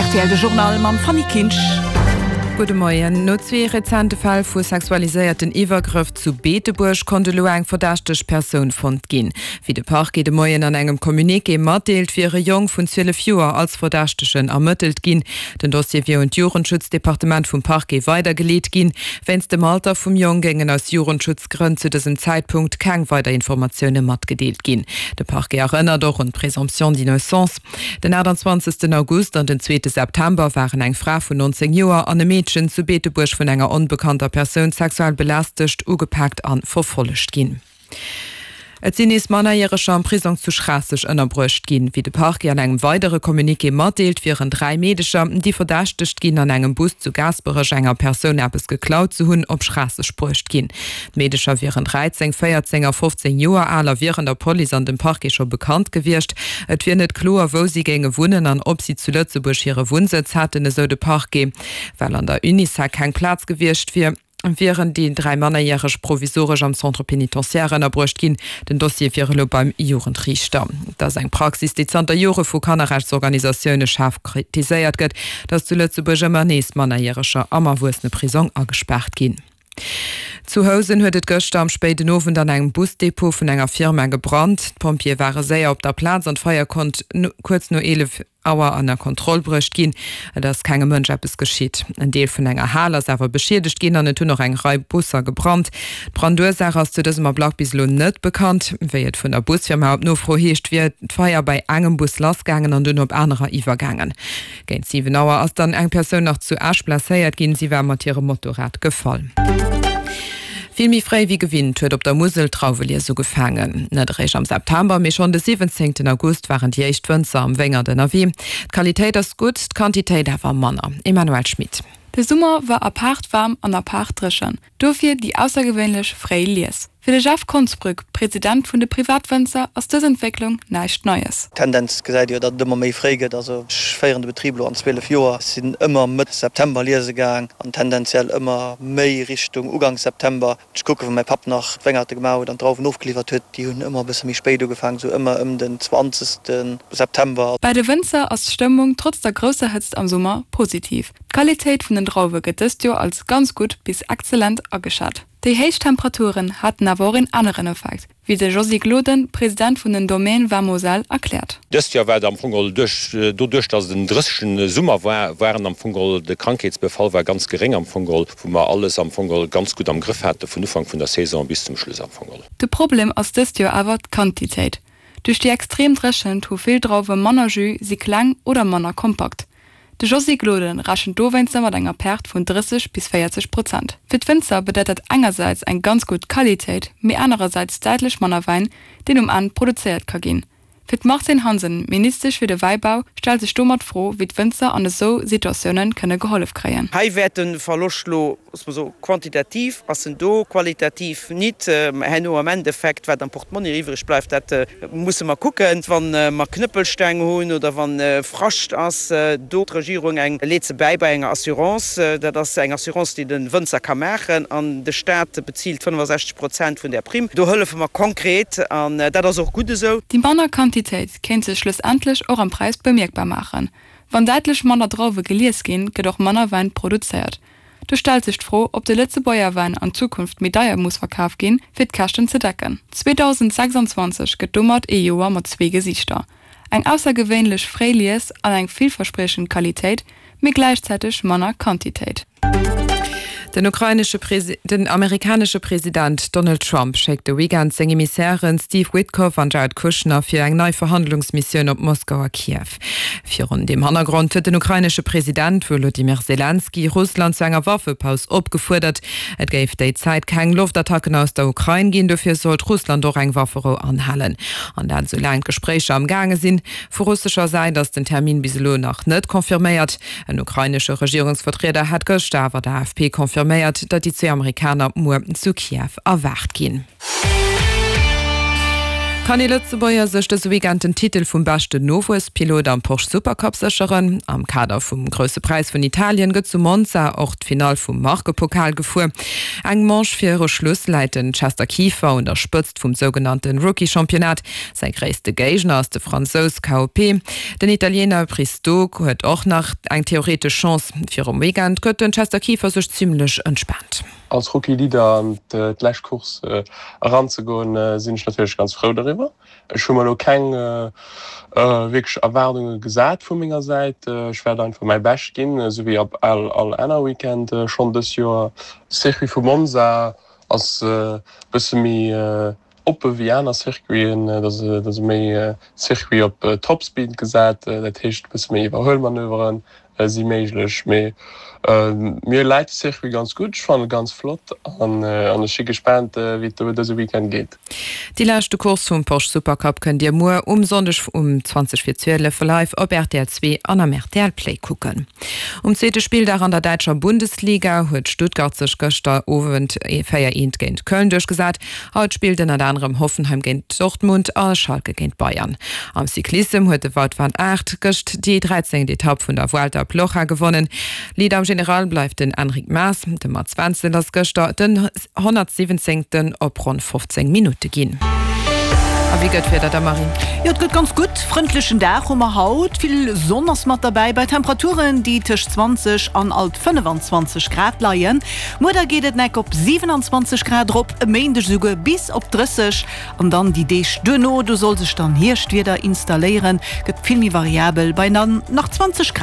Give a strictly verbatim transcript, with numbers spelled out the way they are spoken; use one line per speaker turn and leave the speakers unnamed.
Rtl de Journal mam Fanny Kinsch.
Gudde Moien. No zwee rezente Fäll vu sexualiséierten Iwwergrëff zu Beetebuerg konnt elo eng verdächteg Persoun fonnt ginn. Wéi de Parquet de Moien an engem Communiqué matdeelt, wier e Jong vun zwielef Joer als Verdächtegen ermëttelt ginn. Den Dossier wier un d'Jugendschutzdepartement vum Parquet weidergeleet ginn. Wéinst dem Alter vum Jong géingen aus Jugendschutzgrënn zu dësem Zäitpunkt keng weider Informatioune matgedeelt ginn. De Parquet erënnert och un d'Présomption d'innocence. Den achtanzwanzegsten August an den zweete September waren eng Fra vun nonzéng Joer an e Meedchen zu Beetebuerg vun enger onbekannter Persoun sexuell belästegt, ugepaakt an verfollegt ginn. Et sinn nees Mannerjäreger am Prisong zu Schraasseg ënnerbruecht ginn. Wéi de Parquet an engem weidere Communiqué matdeelt, wieren dräi Meedecher, déi verdächtegt ginn, an engem Bus zu Gaasperech enger Persoun eppes geklaut ze hunn, op Schraasseg bruecht ginn. D'Meedecher wieren dräizéng, véierzéng a fofzéng Joer al a wieren der Police an dem Parquet scho bekannt gewiescht. Et wier net kloer, wou si géinge wunnen an ob si zu Lëtzebuerg hire Wunnsëtz hätten, esou de Parquet. Well an der Unisec keng Plaz gewiescht wier, wieren déi dräi Mannerjäreg provisoresch am Centre pénitentiaire ënnerbruecht ginn. Den Dossier wier elo beim Jugendriichter. Et ass eng Praxis, déi zanter Jore vu Kannerrechtsorganisatioune schaarf kritiséiert gëtt, datt zu Lëtzebuerg ëmmer nees Mannerjäreger am Erwuesseneprisong agespaart ginn. Zu Housen huet et gëschter am spéiden Owend an engem Busdepot vun enger Firma gebrannt. D'Pompjeeë ware séier op der Plaz an d'Feier konnt kuerz no eelef Auer ënner Kontroll bruecht ginn. Et ass kengem Mënsch eppes geschitt. En Deel vun enger Hal ass awer beschiedegt ginn an et hunn och eng Rei Busser gebrannt. D'Brandursaach ass zu dësem Ablack bis elo net bekannt. Wéi et vun der Busfirma op Nofro heescht, wier d'Feier bei engem Bus lassgaangen an dunn op anerer iwwergaangen. Géint siwen Auer ass dann eng Persoun nach zu Esch blesséiert ginn. Si war mat hirem Motorrad gefall. Vill méi fréi wéi gewinnt huet op der Musel d'Drauwelies ugefaangen. Net eréischt am September, mee schonn de siwwenzéngten August waren déi éischt Wënzer am Wéngert ënnerwee. D'Qualitéit ass gutt, d'Quantitéit awer manner. Emmanuelle Schmit.
De Summer war apaart waarm an apaart dréchen, dofir déi aussergewéinlech fréi Lies. Fir de Jeff Konsbrück, President vun de Privatwënzer, ass dës Entwécklung näischt Neies.
D'Tendenz gesäit ee jo, datt et ëmmer méi fréi gëtt. Also ech féieren de Betrib elo an zwielef Joer, sinn ëmmer Mëtt September liese gaang an tendenziell ëmmer méi Richtung Uganks September. Ech kucken, wou mäi Papp nach d'Wéngerte gemaach huet an d'Drauwen ofgeliwwert huet, déi hunn ëmmer e bësse méi spéit ugefaangen, esou ëmmer ëm den zwanzegste September.
Bei de Wënzer ass d'Stëmmung trotz der grousser Hëtzt am Summer positiv. D'Qualitéit vun den Drauwe gëtt dëst Joer als ganz gutt bis exzellent ageschat. Déi héich Temperaturen haten awer och een aneren Effekt, wéi de Josy Gloden, President vun den Domaines Vin Moselle, erkläert.
Dëst Joer war et am Fong geholl duerch, doduerch datt et en drëchene Summer war, waren am Fong geholl, de Krankheetsbefall war ganz geréng am Fong geholl, wou mer alles am Fong geholl ganz gutt am Grëff hate vun Ufank vun der Saison bis zum Schluss am Fong geholl.
De Problem ass dëst Joer awer d'Quantitéit. Duerch déi extrem Dréchent hu vill Drauwe manner Jus, si kleng oder manner kompakt. De Josy Gloden rechent dowéinster mat enger Perte vun drësseg bis véierzeg Prozent. Fir d'Wënzer bedeit dat engersäits eng ganz gutt Qualitéit, mee anerersäits däitlech manner Wäin, deen um Enn produzéiert ka ginn. Fir d'Martine Hansen, Ministesch fir de Wäibau, stellt sech domat d'Fro, wéi d'Wënzer an esou Situatioune kënne gehollef kréien.
Hei wäert de Verloscht elo, loosse mer soen, quantitativ ass en do, qualitativ nit. Herno am Endeffekt, wat am Portmonni iwwreg bleift, dat musse mer kucken. Wa mer Knëppelsteng hunn oder wa Frascht ass, do d'Regierung eng leet se bäi bei enger Assurance. Dat ass eng Assurance, déi de Wënzer ka maachen an de Staat bezilt fënnefasechzeg Prozent vun där Primm. Do hëllefe mer konkret an dat ass och gutt esou.
Déi manner Quantitéit kéint sech schlussendlech och am Präis bemierkbar maachen. Wann däitlech manner Drauwe gelies ginn, gëtt och manner Wäin produzéiert. Do stellt sech d'Fro, ob de Lëtzebuerger Wäin an Zukunft méi deier muss verkaf ginn, fir d'Käschten ze decken. zweedausendsechsanzwanzeg gëtt domat ee Joer mat zwee Gesiichter, eng aussergewéinlech fréi Lies an eng villverspriechend Qualitéit, mee gläichzäiteg manner Quantitéit.
Den ukrainesche Den amerikanesche President Donald Trump schéckt de Weekend seng Emissären Steve Witkoff an Jared Kushner fir eng nei Verhandlungsmissioun op Moskau a Kiew. Virun deem Hannergrond huet den ukrainesche President Wolodymyr Selenskyj Russland zu enger Waffepaus opgefuerdert. Et géif déi Zäit keng Loftattacken aus der Ukrain ginn, dofir sollt Russland och eng Wafferou anhalen. An dat esou laang d'Gespréicher am gaange sinn. Vu russescher Säit ass den Termin bis elo nach net confirméiert. En ukrainesche Regierungsvertrieder hat gëschter awer der A F P confirméiert, datt déi zwee Amerikaner muer zu Kiew erwaart ginn. Kann ee Lëtzebuerger sech dëse Weekend den Titel vum beschten Nowuesspilot am Porsche Supercup sécheren? Am Kader vum Grousse Präis vun Italien gëtt zu Monza och d'Finall vum Markepokal gefuer. Eng Manche viru Schluss läit den Chester Kieffer un der Spëtzt vum sougenannte Rookie-Championnat. Säi gréisste Géigner ass de Fransous KOP. Den Italiener Pristo huet och nach eng theoretesch Chance. Virum Weekend gëtt den Chester Kieffer sech zimmlech entspaant.
Als Rookie Leader an d'lescht Course eranzegoen, sinn ech natierlech ganz frou doriwwer. Ech hu mer elo keng wierklech Erwaardunge gesat vu menger Säit. Ech wäert einfach mäi Bescht ginn, esou wéi op all aner Weekend schonn dës Joer. De Circuit vu Monza ass e bësse méi oppe wéi aner Circuiten. Et ass e méi Circuit op Topspeed gesat, dat heescht e bësse méi Iwwerhuelmanöveren si méiglech. Mee mir läit de Circuit ganz gutt, ech fannen e ganz flott an ech si gespaant wéi et do dëse Weekend geet.
Déi leschte Course vum Porsche Supercup kënnt Dir muer um Sonndeg um zwanzeg vir zwielef live op rtl zwee an am rtl Play kucken. Um zweete Spilldag an der däitscher Bundesliga huet Stuttgart sech gëschter Owend véier eent géint Köln duerchgesat. Haut spillt ënnert anerem Hoffenheim géint Dortmund a Schalke géint Bayern. Am Cyclissem huet de Wout van Aert gëscht déi dräizéngt Etapp vun der Vuelta a Plocha gewonnen. Leader am General bleift den Enric Mas. De Mats Wenzel ass gëschter den honnertsiwwenzéngten op ronn fofzéng Minutte ginn. A wéi gëtt d'Wieder da, Marie?
Jo, et gëtt ganz gutt. Frëndlechen Dag hu mer haut. Vill Sonn ass mat derbäi, bei Temperaturen, déi tëscht zwanzeg an alt fënnefenzwanzeg Grad leien. Muer da geet et neck op siwenanzwanzeg Grad erop, e Méindeg esouguer bis op drësseg. An dann déi Deeg duerno, do soll sech dann Hierschtwieder installéieren, gëtt vill méi variabel bei dann nach zwanzeg Grad.